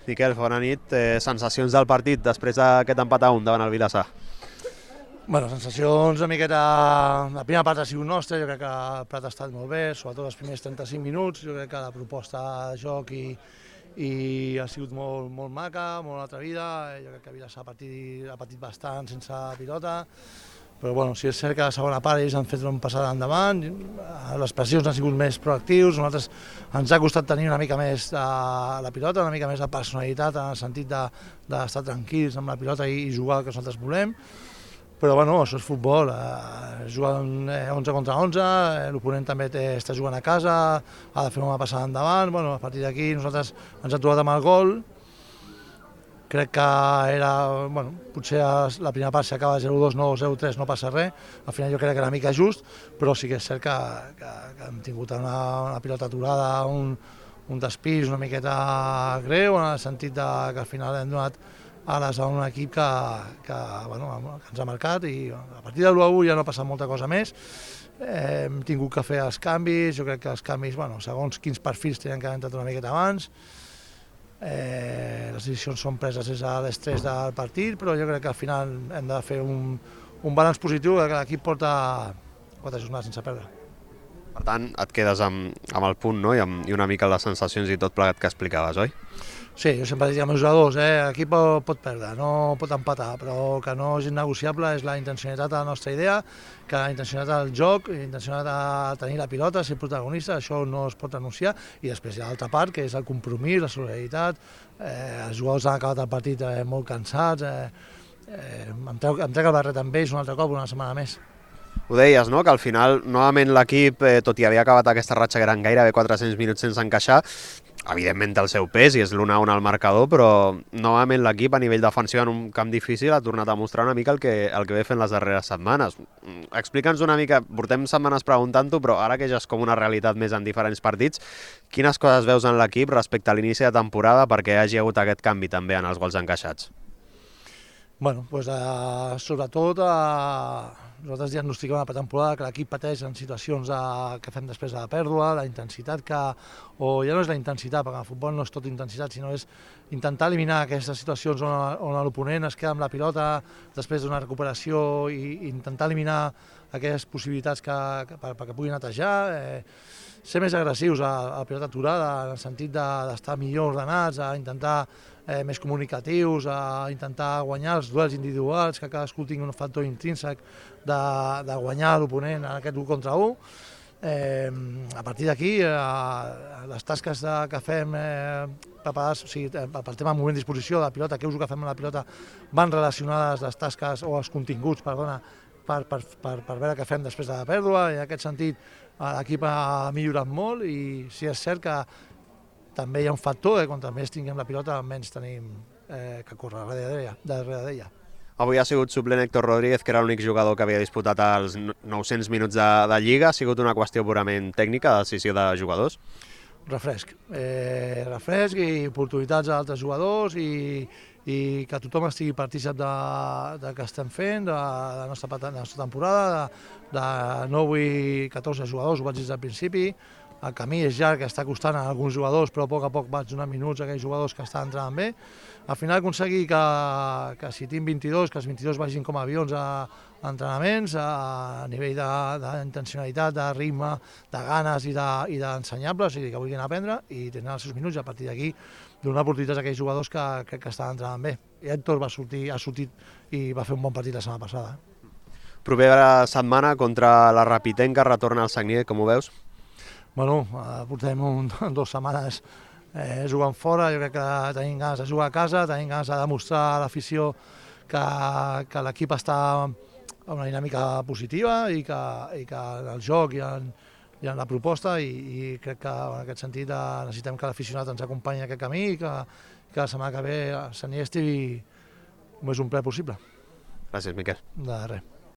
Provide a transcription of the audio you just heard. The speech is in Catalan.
Miquel, bona nit. Sensacions del partit després d'aquest empat a 1 davant el Vilassar? Bueno, sensacions una miqueta... La primera part ha sigut nostra, jo crec que el plat ha estat molt bé, sobretot els primers 35 minuts, jo crec que la proposta de joc i ha sigut molt maca, molt atrevida, jo crec que Vilassar ha patit bastant sense pilota, però bueno, si és cert que a la segona part ells han fet una passada endavant, les pressions han sigut més proactius, nosaltres ens ha costat tenir una mica més de la pilota, una mica més de personalitat en el sentit d'estar tranquils amb la pilota i jugar el que nosaltres volem. Però bueno, això és futbol, juguen 11 contra 11, l'oponent també està jugant a casa, ha de fer una passada endavant, bueno, a partir d'aquí nosaltres ens hem trobat amb el gol, crec que era, bueno, potser la primera part s'acaba 0-2, no 0-3, no passa res, al final jo crec que era una mica just, però sí que és cert que hem tingut una pilota aturada, un despís una miqueta greu, en el sentit que al final hem donat ales a un equip que ens ha marcat i a partir de l'1-1 ja no ha passat molta cosa més. Hem tingut que fer els canvis, jo crec que els canvis, segons quins perfils tenien que haver entrat una miqueta abans. Les decisions són preses des de l'estrès del partit, però jo crec que al final hem de fer un balanç positiu que l'equip porta 4 jornades sense perdre. Per tant, et quedes amb el punt, no? I una mica les sensacions i tot plegat que explicaves, oi? Sí, jo sempre dic als meus jugadors, l'equip pot perdre, no pot empatar, però que no és innegociable és la intencionalitat de la nostra idea, que la intencionalitat del joc, la intencionalitat de tenir la pilota, ser protagonista, això no es pot renunciar, i després hi ha l'altra part, que és el compromís, la solidaritat, els jugadors han acabat el partit molt cansats, em trec el barret amb ells un altre cop, una setmana més. Ho deies, no?, que al final, novament l'equip, tot i haver acabat aquesta ratxa que eren gairebé 400 minuts sense encaixar, evidentment té el seu pes i és l'1-1 al marcador, però novament l'equip a nivell defensiu en un camp difícil ha tornat a mostrar una mica el que ve fent les darreres setmanes. Explica'ns una mica, portem setmanes preguntant-ho, però ara que ja és com una realitat més en diferents partits, quines coses veus en l'equip respecte a l'inici de temporada perquè hi hagi hagut aquest canvi també en els gols encaixats? Bueno, doncs sobretot nosaltres diagnostiquem a la pretemporada que l'equip pateix en situacions que fem després de la pèrdua, la intensitat o ja no és la intensitat, perquè el futbol no és tot intensitat, sinó és intentar eliminar aquestes situacions on l'oponent es queda amb la pilota després d'una recuperació i intentar eliminar aquelles possibilitats perquè puguin netejar, ser més agressius a la pilota aturada, en el sentit d'estar millor ordenats, a intentar més comunicatius, a intentar guanyar els duels individuals, que cadascú tingui un factor intrínsec de guanyar l'oponent en aquest 1 contra 1. A partir d'aquí, les tasques que fem preparades, o sigui, pel tema de moment de disposició de la pilota, què és el que fem amb la pilota, van relacionades les tasques o els continguts, perdona, per veure què fem després de la pèrdua, i en aquest sentit l'equip ha millorat molt i sí és cert que també hi ha un factor que quan més tinguem la pilota menys tenim que córrer darrere d'ella. Avui ha sigut suplent Héctor Rodríguez, que era l'únic jugador que havia disputat els 900 minuts de Lliga. Ha sigut una qüestió purament tècnica, de decisió de jugadors? Refresc i oportunitats a altres jugadors i que tothom estigui partícip de què estem fent, de la nostra temporada, de 9 i 14 jugadors, ho vaig dir al principi. El camí és llarg, que està costant a alguns jugadors, però a poc vaig donar minuts a aquells jugadors que estan entrant bé. Al final aconseguir que si tinc 22, que els 22 vagin com a avions a entrenaments, a nivell d'intencionalitat, de ritme, de ganes i d'ensenyables, o sigui, que vulguin aprendre i tindran els seus minuts, i a partir d'aquí donar oportunitats a aquells jugadors que crec que estan entrenant bé. I Héctor ha sortit i va fer un bon partit la setmana passada. Propera setmana contra la Rapitenca, retorna al Sagnier, com ho veus? Bueno, portem 2 setmanes jugant fora, jo crec que tenim ganes de jugar a casa, tenim ganes de demostrar a l'afició que l'equip està en una dinàmica positiva i que en el joc i en la proposta i crec que en aquest sentit necessitem que l'aficionat ens acompanyi en aquest camí i que la setmana que ve a Sant Nies estigui el més ple possible. Gràcies, Miquel. De res.